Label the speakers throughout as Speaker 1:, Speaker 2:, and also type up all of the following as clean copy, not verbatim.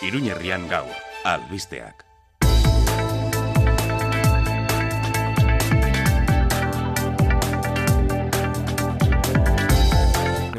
Speaker 1: Iruñerrian gaur, albisteak.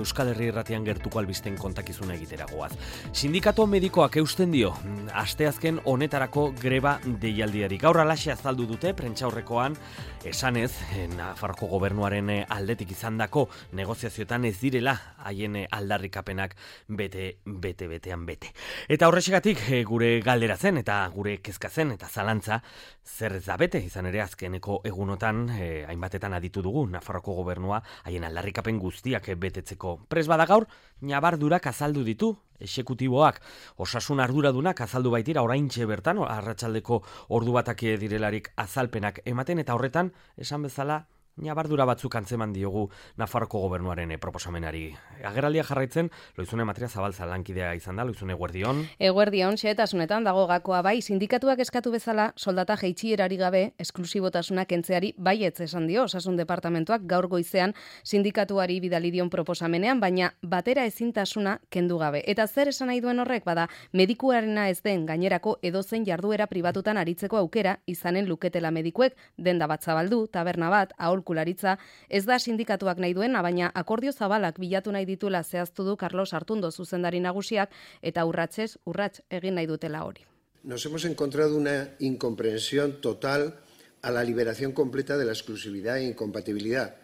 Speaker 2: Euskal Herri Irratian gertuko albisten kontakizuna egitera goaz. Sindikato medikoak eusten dio, asteazken honetarako greba deialdiari. Gaur alaxe azaldu dute, prentsaurrekoan, esanez, Nafarroko gobernuaren aldetik izandako negoziazioetan ez direla haien aldarrikapenak betean bete. Eta horrexegatik gure galdera zen, eta gure kezka zen, eta zalantza, zer ez da bete, izan ere azkeneko egunotan, hainbatetan aditu dugu, Nafarroko gobernua haien aldarrikapen guztiak betetzeko prez bada gaur, ñabardurak azaldu ditu, exekutiboak, osasun arduradunak azaldu baitira oraintxe bertan, arratsaldeko ordu batak direlarik azalpenak ematen, eta horretan, esan bezala, ñabardura batzuk antzeman diogu Nafarroko gobernuaren proposamenari. Agerraldia jarraitzen, Loizune Matria Zabalza lankidea izan da, Loizune eguerdion.
Speaker 3: Eguerdion, xehetasunetan dago gakoa bai, sindikatuak eskatu bezala soldata jaitsierari gabe esklusibotasuna kentzeari baietz esan dio Osasun Departamentuak gaur goizean sindikatuari bidali dion proposamenean, baina batera ezintasuna kendu gabe. Eta zer esan nahi duen horrek, bada, medikuarena ez den gainerako edozein jarduera pribatutan aritzeko aukera izanen luketela medikuek, denda bat zabaldu, taberna bat, aholkularitza, ez da sindikatuak nahi duena, baina akordio zabalak bilatu nahi dituela zehaztu du Carlos Artundo zuzendari nagusiak eta urratsez urrats egin nahi dutela hori.
Speaker 4: Nos hemos encontrado una incomprensión total a la liberación completa de la exclusividad e incompatibilidad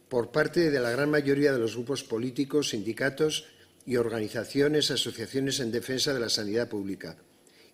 Speaker 4: por parte de la gran mayoría de los grupos políticos, sindicatos y organizaciones, asociaciones en defensa de la sanidad pública.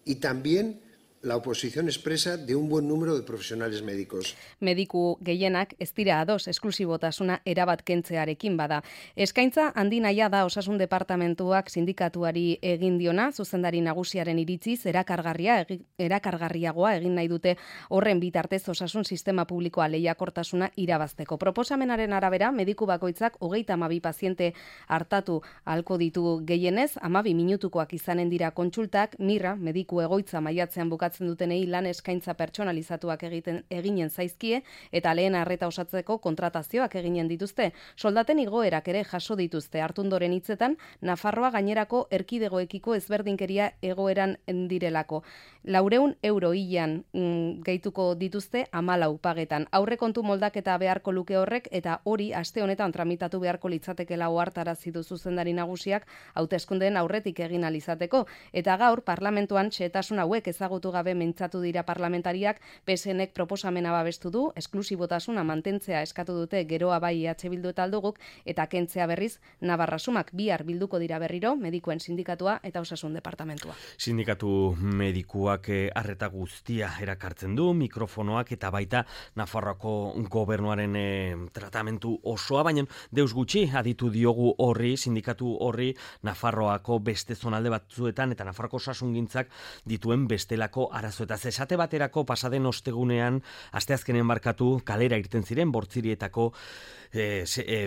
Speaker 4: Y también la oposición expresa de un buen número de profesionales médicos.
Speaker 3: Mediku gehienak ez dira ados esklusibotasuna erabat kentzearekin bada. Eskaintza handi naia da Osasun Departamentuak sindikatuari egin diona, zuzendari nagusiaren iritziz erakargarriagoa egin nahi dute horren bitartez osasun sistema publikoa lehiakortasuna irabazteko. Proposamenaren arabera, mediku bakoitzak 32 paziente hartatu ahalko ditu gehienez, 12 minutukoak izanen dira kontsultak, Mirra, mediku egoitza maiatzean bukatzen dutenei lan eskaintza pertsonalizatuak eginen zaizkie eta lehen arreta osatzeko kontratazioak eginen dituzte. Soldaten igoerak ere jaso dituzte. Artundoren hitzetan, Nafarroa gainerako erkidegoekiko ezberdinkeria egoeran direlako. 400 euro hilean gehituko dituzte 14 pagetan. Aurrekontu moldaketa beharko luke horrek eta hori aste honetan tramitatu beharko litzatekeela ohartarazi du zuzendari nagusiak hauteskundeen aurretik egin alizateko. Eta gaur parlamentuan xehetasun hauek ezagutu gabe mintzatu dira parlamentariak, PSNek proposamena babestu du, esklusibotasuna mantentzea eskatu dute Geroa bai EH Bildu eta Alduguk, eta kentzea berriz Navarrasumak bihar bilduko dira berriro, medikuen sindikatua eta Osasun Departamentua.
Speaker 2: Sindikatu medikuak arreta guztia erakartzen du, mikrofonoak eta baita Nafarroako gobernuaren tratamentu osoa, baina deus gutxi aditu diogu horri, sindikatu horri, Nafarroako beste zonalde batzuetan eta Nafarroako osasungintzak dituen bestelako arazoetaz. Esate baterako pasaden ostegunean, asteazkenen barkatu, kalera irten ziren Bortzirietako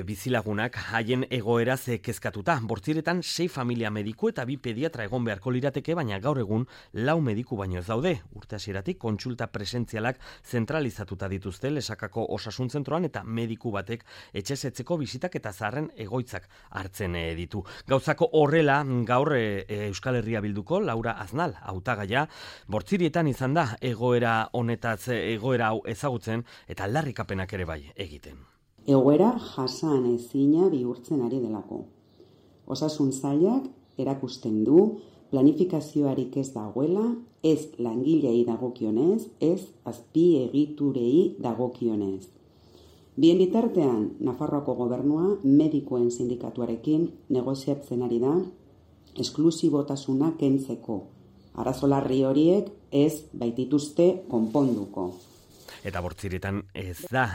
Speaker 2: bizilagunak haien egoeraz kezkatuta. Bortziretan 6 familia mediku eta 2 pediatra egon beharko lirateke, baina gaur egun 4 mediku baino ez daude. Urte hasieratik kontsulta presentzialak zentralizatuta dituzte Lesakako osasun zentroan eta mediku batek etxezetzeko bizitak eta zaharren egoitzak hartzen ditu. Gauzako horrela, gaur Euskal Herria Bilduko Laura Aznal hautagaia Bortzirietan izan da egoera honetaz egoera hau ezagutzen eta aldarrikapenak ere bai egiten.
Speaker 5: Egoera jasan ezina bihurtzen ari delako. Osasun sailak erakusten du planifikazioarik ez dagoela, ez langilei dagokionez, ez azpiegiturei dagokionez. Bien bitartean, Nafarroako gobernua medikuen sindikatuarekin negoziatzen ari da esklusibotasuna kentzeko. Arazo larri horiek ez baitituzte konponduko.
Speaker 2: Eta Bortzirietan ez da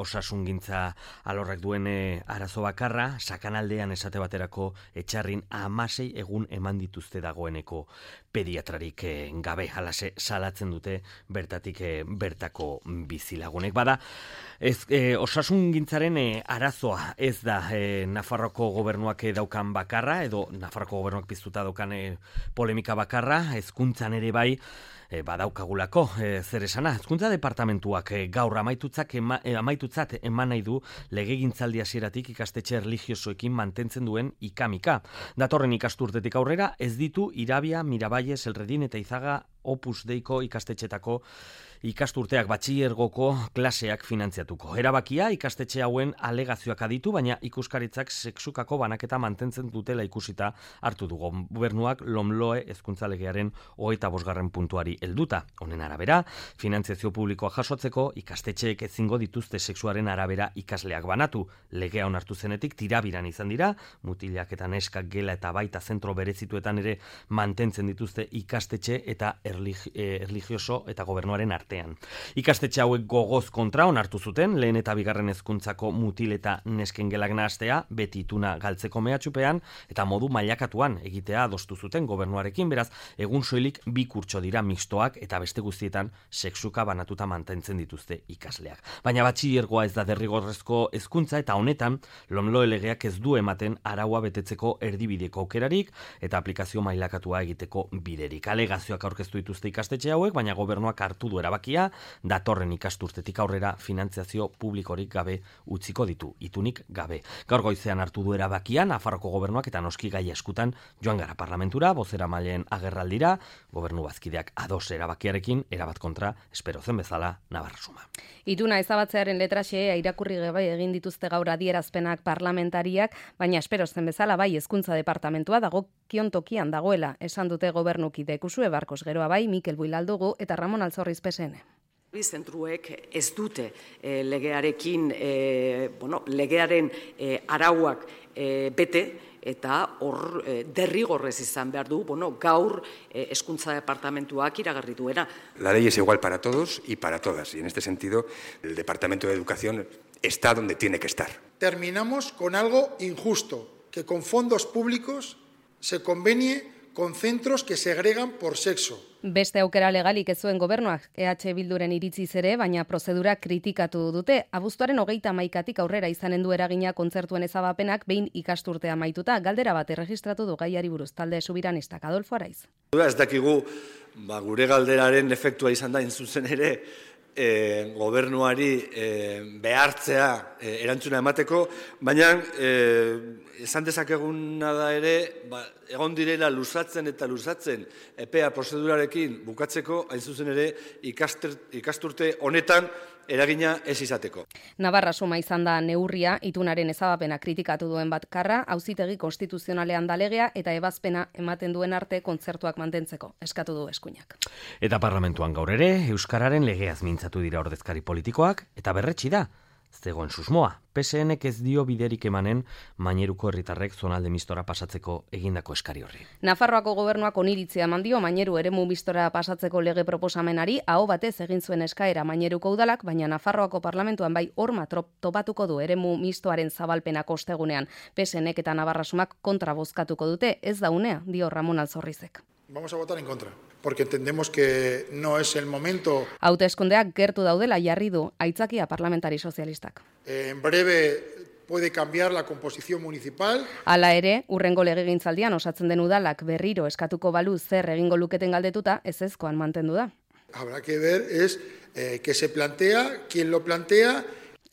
Speaker 2: osasungintza alorrak duen arazo bakarra, Sakanaldean esate baterako etxarrin 16 egun eman dituzte dagoeneko pediatrarik gabe, halase salatzen dute bertatik bertako bizilagunek. Bada, osasungintzaren arazoa ez da Nafarroko gobernuak daukan bakarra, edo Nafarroko gobernuak piztuta daukan polemika bakarra, hezkuntzan ere bai, badaukagulako zer esana. Hezkuntza departamentu parlamentuak gaur amaitutzat eman nahi du legegintzaldi hasieratik ikastetxe erlijiosoekin mantentzen duen ikamika. Datorren ikasturtetik aurrera ez ditu Irabia, Miravalles, Elredin eta Izaga Opus Deiko ikastetxetako ikasturteak batxilergoko klaseak finantziatuko. Erabakia ikastetxe hauen alegazioak aditu, baina ikuskaritzak sexukako banaketa mantentzen dutela ikusita hartu dugu. Gobernuak LOMLOE hezkuntza legearen 25. puntuari helduta. Honen arabera, finantziazio publikoa jasotzeko ikastetxeek ezingo dituzte sexuaren arabera ikasleak banatu. Legea onartu zenetik tirabiran izan dira, mutilak eta neskak gela eta baita zentro berezituetan ere mantentzen dituzte ikastetxe eta erlijioso eta gobernuaren artean. Ikastetxe hauek gogoz kontra onartu zuten, lehen eta bigarren hezkuntzako mutil eta nesken gelak nahastea, beti ituna galtzeko mehatxupean, eta modu mailakatuan egitea adostu zuten gobernuarekin, beraz, egun soilik bi kurtso dira mixtoak eta beste guztietan sexuka banatuta mantentzen dituzte ikasleak. Baina batxilergoa ez da derrigorrezko hezkuntza eta honetan, LOMLOE legeak ez du ematen araua betetzeko erdibideko aukerarik eta aplikazio mailakatua egiteko biderik. Alegazioak aurkeztu dituzte ikastetxe hauek, baina gobernuak hartu du erabakia, datorren ikasturtetik aurrera finantziazio publikorik gabe utziko ditu, itunik gabe. Gaur goizean hartu du erabakia Nafarroko gobernuak eta noski gai eskutan joan gara parlamentura, bozeramaileen agerraldira, gobernu bazkideak ados erabakiarekin, erabat kontra, espero zen bezala, Navarrasuma.
Speaker 3: Ituna ezabatzearen letraxea irakurri gabe egin dituzte gaur adierazpenak parlamentariak, baina espero zen bezala bai hezkuntza departamentua dagokion tokian dagoela, esan dute gobernukide Kusue Barkos, geroa bai Mikel Builaldugu eta Ramon Altzorriz PSN.
Speaker 6: Zentruek ez dute legearekin, legearen arauak bete, eta hor derrigorrez izan behar du, gaur hezkuntza departamentuak iragarri duena.
Speaker 7: La ley es igual para todos y para todas, y en este sentido el Departamento de Educación está donde tiene que estar.
Speaker 8: Terminamos con algo injusto, que con fondos públicos se convenie con centros que segregan por sexo.
Speaker 3: Beste aukera legalik ez zuen gobernuak EH Bilduren iritziz ere, baina prozedura kritikatu dute. Abuztuaren 31tik aurrera izanen du eragina kontzertuen ezabapenak behin ikasturtea amaituta. Galdera bat erregistratu du gaiari buruz talde subiranistak Adolfo Araiz.
Speaker 9: Ez dakigu gure galderaren efektua izan da zuzen ere gobernuari behartzea erantzuna emateko, baina esan dezakeguna da ere, egon direla luzatzen eta luzatzen epea prozedurarekin bukatzeko, hain zuzen ere ikasturte honetan eragina ez izateko.
Speaker 3: Navarrasuma izan da neurria, itunaren ezabapena kritikatu duen Batkarra, auzitegi konstituzionalean da legea eta ebazpena ematen duen arte kontzertuak mantentzeko, eskatu du eskuinak.
Speaker 2: Eta parlamentuan gaur ere, Euskararen legeaz mintzatu dira ordezkari politikoak, eta berretsi da, zegoen susmoa. PSNek ez dio biderik emanen Maineruko herritarrek zonalde mistora pasatzeko egindako eskari horri.
Speaker 3: Nafarroako gobernuak oniritzia eman dio Maineru eremu mistora pasatzeko lege proposamenari, aho batez egin zuen eskaera Maineruko udalak, baina Nafarroako parlamentuan bai horma topatuko du eremu mistoaren zabalpenak ostegunean. PSNek eta Navarrasumak kontra bozkatuko dute, ez da unea, dio Ramon Altzorrizek.
Speaker 8: Vamos a votar en contra, porque entendemos que no es el momento.
Speaker 3: Hauteskundeak gertu daudela jarri du aitzakia parlamentari sozialistak.
Speaker 8: En breve puede cambiar la composición municipal.
Speaker 3: Hala ere, urrengo legegintzaldian osatzen den udalak berriro eskatuko balu zer egingo luketen galdetuta, ezezkoan mantendu da.
Speaker 8: Habrá que ver que se plantea, quién lo plantea.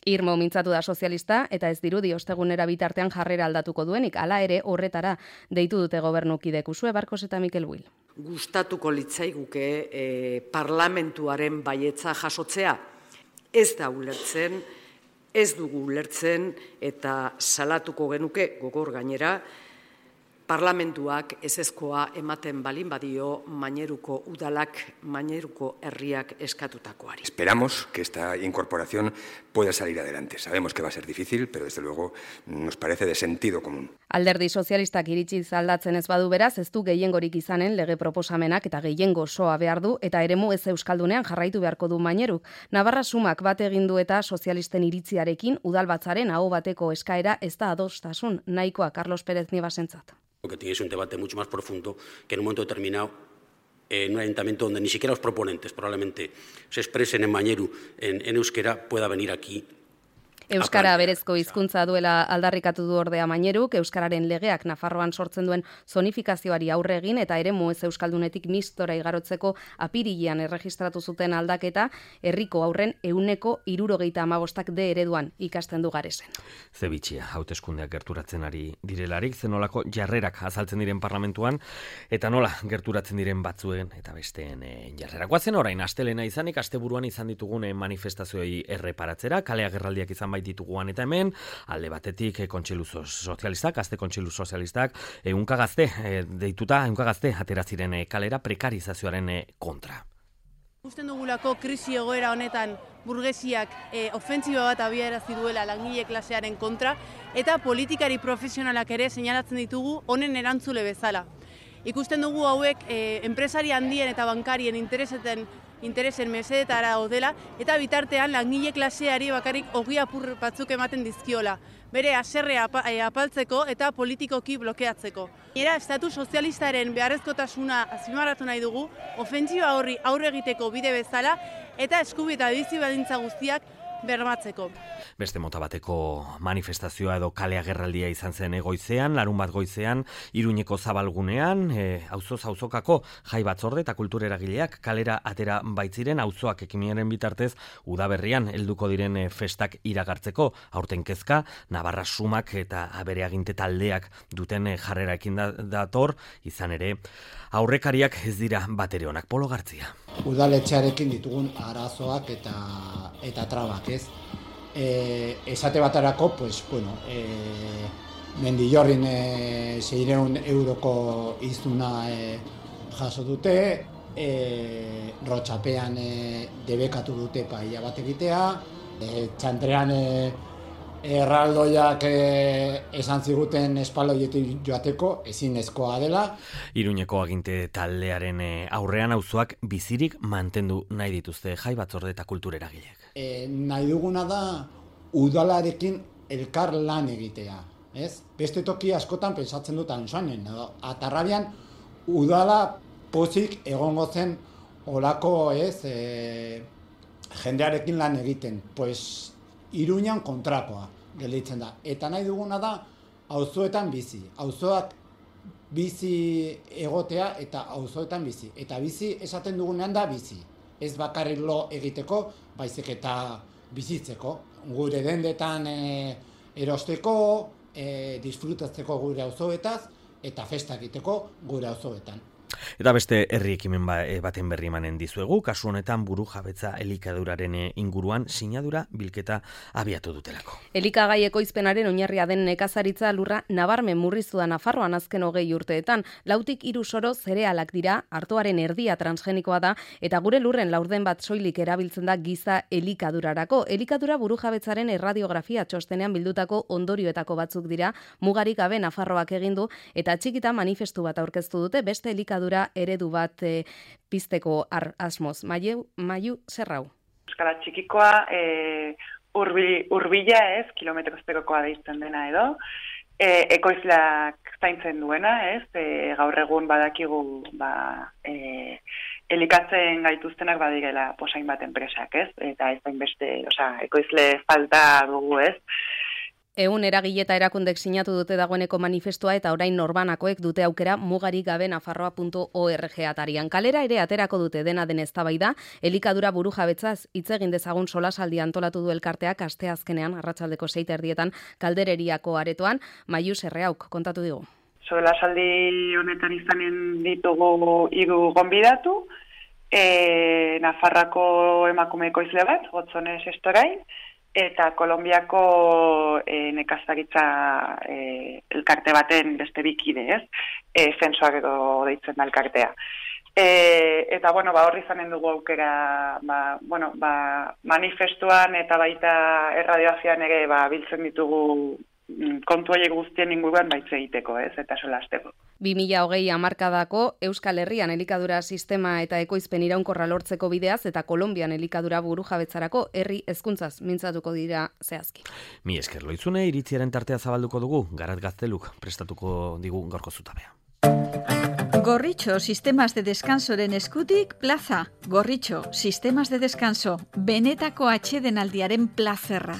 Speaker 3: Irmo mintzatu da sozialista eta ez dirudi ostegunera bitartean jarrera aldatuko duenik, hala ere horretara deitu dute gobernukide Kusue Barkos eta Mikel Buil.
Speaker 6: Gustatuko litzaiguke parlamentuaren baietza jasotzea, ez da ulertzen, ez dugu ulertzen eta salatuko genuke gogor gainera, parlamentuak ezezkoa ematen balin badio Maineruko udalak, Maineruko herriak eskatutakoari.
Speaker 7: Esperamos que esta incorporación pueda salir adelante. Sabemos que va a ser difícil, pero desde luego nos parece de sentido común.
Speaker 3: Alderdi sozialistak iritsi aldatzen ez badu beraz, ez du gehiengorik izanen lege proposamenak eta gehiengo osoa behar du eta eremu ez euskaldunean jarraitu beharko du Maineruk. Navarrasumak bat egin du eta sozialisten iritziarekin udalbatzaren aho bateko eskaera ez da adostasun nahikoa Carlos Pérez Niebasentzat.
Speaker 10: Que tienes un debate mucho más profundo que en un momento determinado en un ayuntamiento donde ni siquiera los proponentes probablemente se expresen en Maineru, en euskera, pueda venir aquí
Speaker 3: Euskara berezko hizkuntza duela aldarrikatu du ordea Maineruk, euskararen legeak Nafarroan sortzen duen zonifikazioari aurre egin eta eremu ez euskaldunetik mistora igarotzeko apirilean erregistratu zuten aldaketa herriko aurren 75% D ereduan ikasten du Garesen.
Speaker 2: Zebitxia, hauteskundeak gerturatzen ari direlarik, zenolako jarrerak azaltzen diren parlamentuan, eta nola gerturatzen diren batzuen eta besteen jarrerak. Guazen orain, astelena izanik, asteburuan izan ditugun manifestazioei erreparatzera, kale agerraldiak izan dituguan eta hemen, alde batetik kontseilu sozialistak, gazte kontseilu sozialistak, ehunka gazte atera ziren kalera prekarizazioaren kontra.
Speaker 11: Usten dugulako krisi egoera honetan burgesiak ofentsiba bat abiarazi duela langile klasearen kontra eta politikari profesionalak ere seinalatzen ditugu honen erantzule bezala. Ikusten dugu hauek enpresari handien eta bankarien interesen mesedetara odela eta bitartean langile klaseari bakarrik ogi apur batzuk ematen dizkiola, bere haserrea apaltzeko eta politikoki blokeatzeko. Era estatu sozialistaren beharrezkotasuna azpimarratu nahi dugu, ofentsiba horri aurre egiteko bide bezala eta eskubide eta bizi baldintza guztiak bermatzeko.
Speaker 2: Beste mota bateko manifestazioa edo kale agerraldia izan zen goizean, larunbat goizean, Iruñeko zabalgunean, auzoz auzokako jai batzorde eta kultura eragileak kalera atera baitziren auzoak ekimenaren bitartez udaberrian helduko diren festak iragartzeko. Aurten kezka, Navarra sumak eta bere aginte taldeak duten jarreraekin dator, izan ere, aurrekariak ez dira batere onak. Polo Gartzia.
Speaker 12: Udaletxearekin ditugun arazoak eta trabak, ez? Esate batarako, pues, bueno, Mendillorrin 600 euroko izuna jaso dute, Rotxapean debekatu dute paia bat egitea, Txantrean erraldoiak esan ziguten espaloietik joateko ezinezkoa dela.
Speaker 2: Iruñeko aginte taldearen aurrean auzoak bizirik mantendu nahi dituzte jai batzorde eta kultura eragileak.
Speaker 12: Nahi duguna da udalarekin elkar lan egitea, ez? Beste toki askotan pentsatzen dut Ansoanen, Atarrabian udala pozik egongo zen olako, ez, jendearekin lan egiten, pues Iruñan kontrakoa gelditzen da. Eta nahi duguna da auzoetan bizi. Auzoak bizi egotea eta auzoetan bizi. Eta bizi esaten dugunean da bizi. Ez bakarrik lo egiteko, baizik eta bizitzeko. Gure dendetan erosteko, disfrutatzeko gure auzoetaz eta festa egiteko gure auzoetan.
Speaker 2: Eta beste herri ekimen baten berri emanen dizuegu, kasu honetan burujabetza elikaduraren inguruan sinadura bilketa abiatu dutelako.
Speaker 3: Elikagai ekoizpenaren oinarria den nekazaritza lurra nabarmen murriztu da Nafarroan azken 20 urteetan. 4 soro zerealak dira, artoaren erdia transgenikoa da, eta gure lurren laurden bat soilik erabiltzen da giza elikadurarako. Elikadura burujabetzaren erradiografia txostenean bildutako ondorioetako batzuk dira, mugarik gabe Nafarroak egin du, eta txikita manifestu bat aurkeztu dute, beste elikadura eredu bat pizteko asmoz. Maiu Zerrau.
Speaker 13: Euskara txikikoa urbila ez, kilometrozpekokoa deizten dena edo, ekoizleak zaintzen duena, ez, gaur egun badakigu elikatzen gaituztenak badirela posain bat enpresak, ez, eta ez beste, ekoizle falta dugu, ez.
Speaker 3: 100 eragile eta erakundek sinatu dute dagoeneko manifestua eta orain norbanakoek dute aukera mugarik gabe nafarroa.org atarian. Kalera ere aterako dute dena den eztabaida, elikadura burujabetzaz hitz egin dezagun solasaldi antolatu du elkarteak asteazkenean arratsaldeko 6:30 Kaldereriako aretoan. Maiu Zerrauk kontatu digu.
Speaker 13: Solasaldi honetan izanen ditugu 3 gonbidatu, Nafarrako emakume ekoizle bat, Gotzones Estorain, eta Kolonbiako nekazaritza elkarte baten beste bikide, ez? Zensoak edo deitzen da elkartea. Eta, horri izanen dugu aukera, manifestuan eta baita erradioazian ere biltzen ditugu kontu horiek guztien inguruan baitz egiteko, ez? Eta solasteko.
Speaker 3: 2020 hamarkadako Euskal Herrian elikadura sistema eta ekoizpen iraunkorra lortzeko bideaz eta Kolonbian elikadura burujabetzarako herri hezkuntzaz mintzatuko dira zehazki.
Speaker 2: Mi esker Loizune, iritziaren tartea zabalduko dugu, Garat Gazteluk prestatuko digu gaurko zutabea.
Speaker 14: Gorritxo Sistemas de Descansoren eskutik plaza. Gorritxo Sistemas de Descanso, benetako atsedenaldiaren plazerra.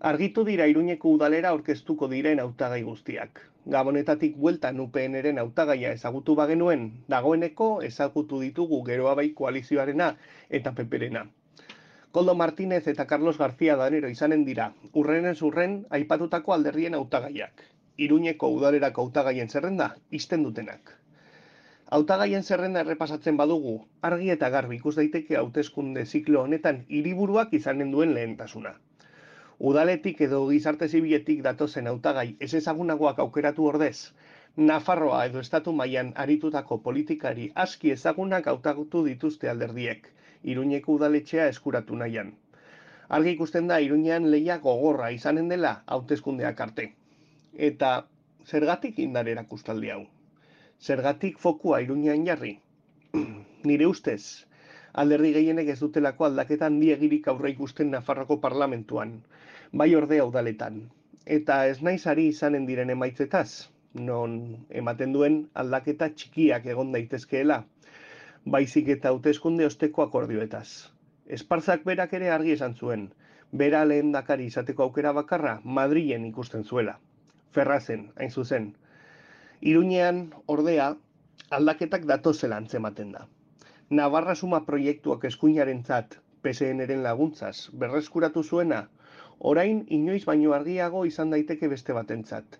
Speaker 15: Argitu dira Iruñeko udalera aurkeztuko diren hautagai guztiak. Gabonetatik bueltan UPNren hautagaia ezagutu bagenuen, dagoeneko ezagutu ditugu Geroa Bai koalizioarena eta PPrena. Koldo Martínez eta Carlos García Danero izanen dira, urrenez urren aipatutako alderdien hautagaiak. Iruñeko udalerako hautagaien zerrenda isten dutenak. Hautagaien zerrenda errepasatzen badugu, argi eta garbi ikus daiteke hauteskunde ziklo honetan hiriburuak izanen duen lehentasuna. Udaletik edo gizarte zibiletik datozen hautagai ez ezagunagoak aukeratu ordez, Nafarroa edo estatu mailan aritutako politikari aski ezagunak hautatu dituzte alderdiek, Iruñeko udaletxea eskuratu nahian. Argi ikusten da Iruñean lehia gogorra izanen dela hauteskundeak arte. Eta zergatik indar erakustaldi hau? Zergatik fokua Iruñean jarri? Nire ustez, alderdi gehienek ez dutelako aldaketa handiegirik aurre ikusten Nafarroko parlamentuan, bai ordea udaletan. Eta ez naiz ari izanen diren emaitzetaz, non ematen duen aldaketa txikiak egon daitezkeela, baizik eta hauteskunde osteko akordioetaz. Esparzak berak ere argi esan zuen, bera lehendakari izateko aukera bakarra Madrilen ikusten zuela. Ferrazen, hain zuzen. Iruñean, ordea, aldaketak datozela antzematen da. Navarra Suma proiektuak eskuinarentzat, PSN-ren laguntzaz, berreskuratu zuena, orain inoiz baino argiago izan daiteke beste batentzat.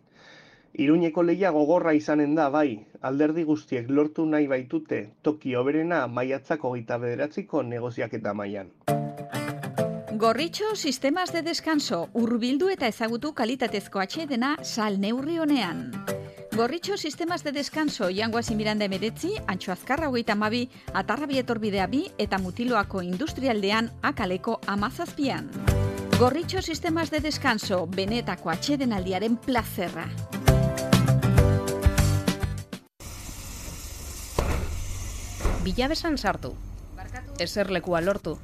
Speaker 15: Iruñeko lehia gogorra izanen da, bai, alderdi guztiek lortu nahi baitute toki hoberena maiatzak 29ko negoziaketa mailan.
Speaker 14: Gorritxo sistemas de descanso, hurbildu eta ezagutu kalitatezko atsedena sal neurri honean. Gorritxo sistemas de descanso, Jangoazi Miranda 19, Antxo Azkarra 32, Atarrabi Etorbidea 2 eta Mutiloako Industrialdean Akaleko 17. Gorritxo sistemas de descanso, benetako atsedenaldiaren plazerra.
Speaker 3: Bilabesan sartu, eserlekua lortu,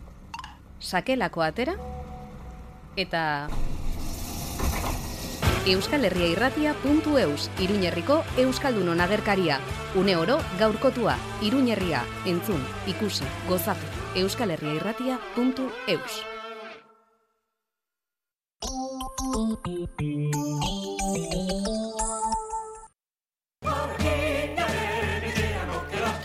Speaker 3: sakelako atera, eta euskalherriairratia.eus, Iruñerriko Euskaldunon agerkaria, une oro gaurkotua, Iruñerria, entzun, ikusi, gozatu, euskalherriairratia.eus.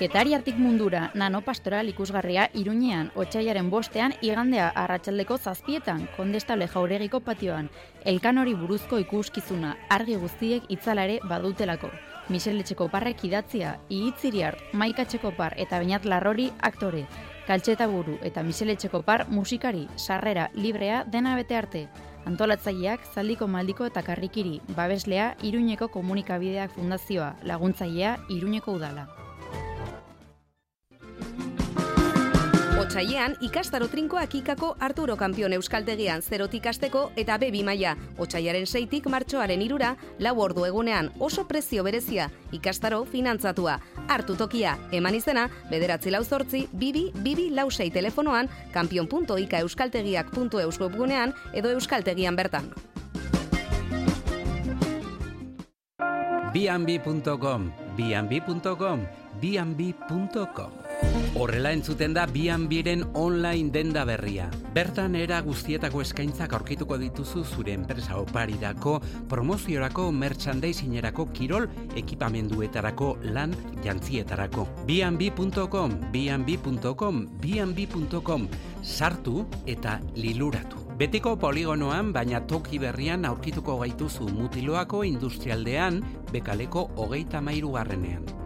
Speaker 16: Getariartik mundura, nanopastoral ikusgarria Iruñean, otsailaren 5ean, igandea arratsaldeko 7etan, Kondestable Jauregiko patioan, Elkanori buruzko ikuskizuna, argi guztiek itzalare badutelako. Michel Etxekoparrek idatzia, Ihitziriart, Maika Etxekopar eta Beñat Larrori aktore, Kaltxeta Buru eta Michel Etxekopar musikari, sarrera, librea, dena bete arte. Antolatzaileak, Zaldiko Maldiko eta Karrikiri, babeslea, Iruñeko Komunikabideak Fundazioa, laguntzailea, Iruñeko Udala.
Speaker 3: Otsailean, ikastaro trinkoak ikako Arturo Kampion Euskaltegian 0tik hasteko eta B2 maila. Otsailaren 6tik martxoaren 3ra, 4 ordu egunean oso prezio berezia, ikastaro finantzatua. Hartu tokia, eman izena, 9482226 telefonoan, kampion.ikaeuskaltegiak.eus webgunean edo euskaltegian bertan.
Speaker 17: B&B.com, B&B.com, B&B.com. Horrela entzuten da B&Bren online denda berria. Bertan era guztietako eskaintzak aurkituko dituzu zure enpresa oparirako, promoziorako, merchandisingerako, kirol, ekipamenduetarako, lan, jantzietarako. B&B.com, B&B.com, B&B.com. Sartu eta liluratu. Betiko poligonoan, baina toki berrian aurkituko gaituzu Mutiloako Industrialdean, Bekaleko 33.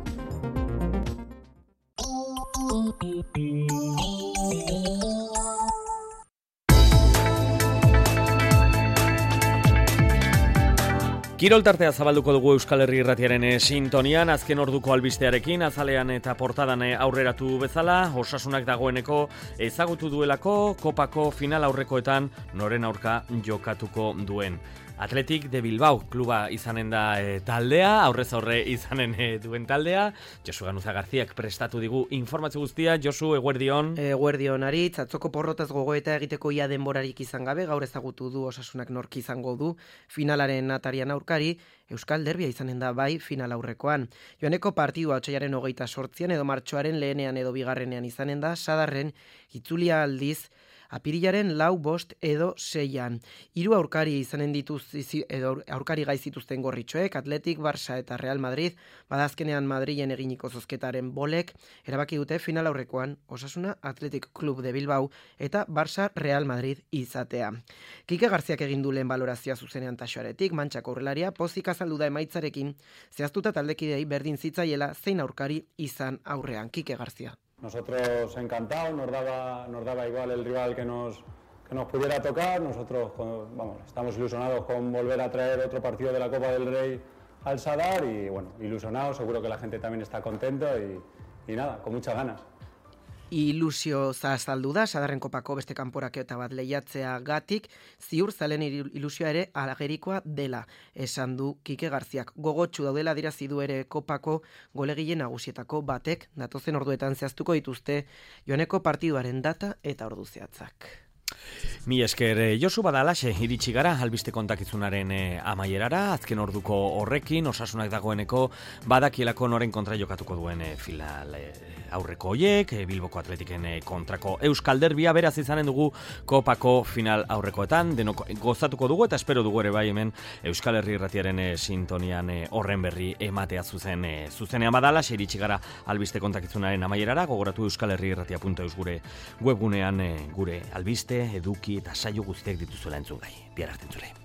Speaker 2: Kirol tartea zabalduko dugu Euskal Herri Irratiaren sintonian, azken orduko albistearekin, azalean eta portadan aurreratu bezala, Osasunak dagoeneko ezagutu duelako kopako final aurrekoetan noren aurka jokatuko duen. Athletic de Bilbao kluba izanen da taldea, aurrez aurre izanen duen taldea. Josu Ganuza Garziak prestatu digu informazio guztia. Josu, eguerdion.
Speaker 18: Eguerdion, Aritz, atzoko porrotaz gogoeta egiteko ia denborarik izan gabe, gaur ezagutu du Osasunak nork izango du finalaren atarian aurkari, Euskal Derbia izanen da bai final aurrekoan. Joaneko partidua otsailaren 28 edo martxoaren lehenean edo bigarrenean izanen da, Sadarren itzulia aldiz apirilaren 4, 5 edo 6an. 3 aurkari izanen aurkari gai zituzten Gorritxoek, Atletik, Barça eta Real Madrid, badazkenean Madrilen eginiko zozketaren bolek, erabaki dute final aurrekoan Osasuna Athletic Club de Bilbao eta Barça Real Madrid izatea. Kike Garziak egin du lehen balorazioa zuzenean Taxoaretik, Mantxako aurrelaria pozik azaldu da emaitzarekin, zehaztuta taldekidei berdin zitzaiela zein aurkari izan aurrean. Kike Garzia.
Speaker 19: Nosotros encantados, nos daba igual el rival que nos pudiera tocar. Nosotros estamos ilusionados con volver a traer otro partido de la Copa del Rey al Sadar y bueno, ilusionados, seguro que la gente también está contenta y nada, con muchas ganas.
Speaker 18: Ilusio azaldu da, Sadarren kopako beste kanporaketa bat lehiatzea gatik, ziur zalen ilusioa ere agerikoa dela, esan du Kike Garziak. Gogotsu daudela dirazi du ere kopako golegile nagusietako batek, datozen orduetan zehaztuko dituzte joaneko partiduaren data eta ordu zehatzak.
Speaker 2: Mi esker, Josu, badalaxe, iritsi gara, albiste kontakizunaren amaierara, azken orduko horrekin, Osasunak dagoeneko badakielako noren kontra jokatuko duen final aurreko hoiek, Bilboko Atletiken kontrako Euskal Derbia, beraz izanen dugu kopako final aurrekoetan, denok gozatuko dugu eta espero dugu ere bai hemen Euskal Herri Irratiaren sintonian horren berri ematea zuzenean badalaxe, iritsi gara albiste kontakizunaren amaierara, gogoratu euskalherriirratia.eus gure webgunean gure albiste, eduki eta saio guztiak dituzuela entzun gai. Bihar arte entzule.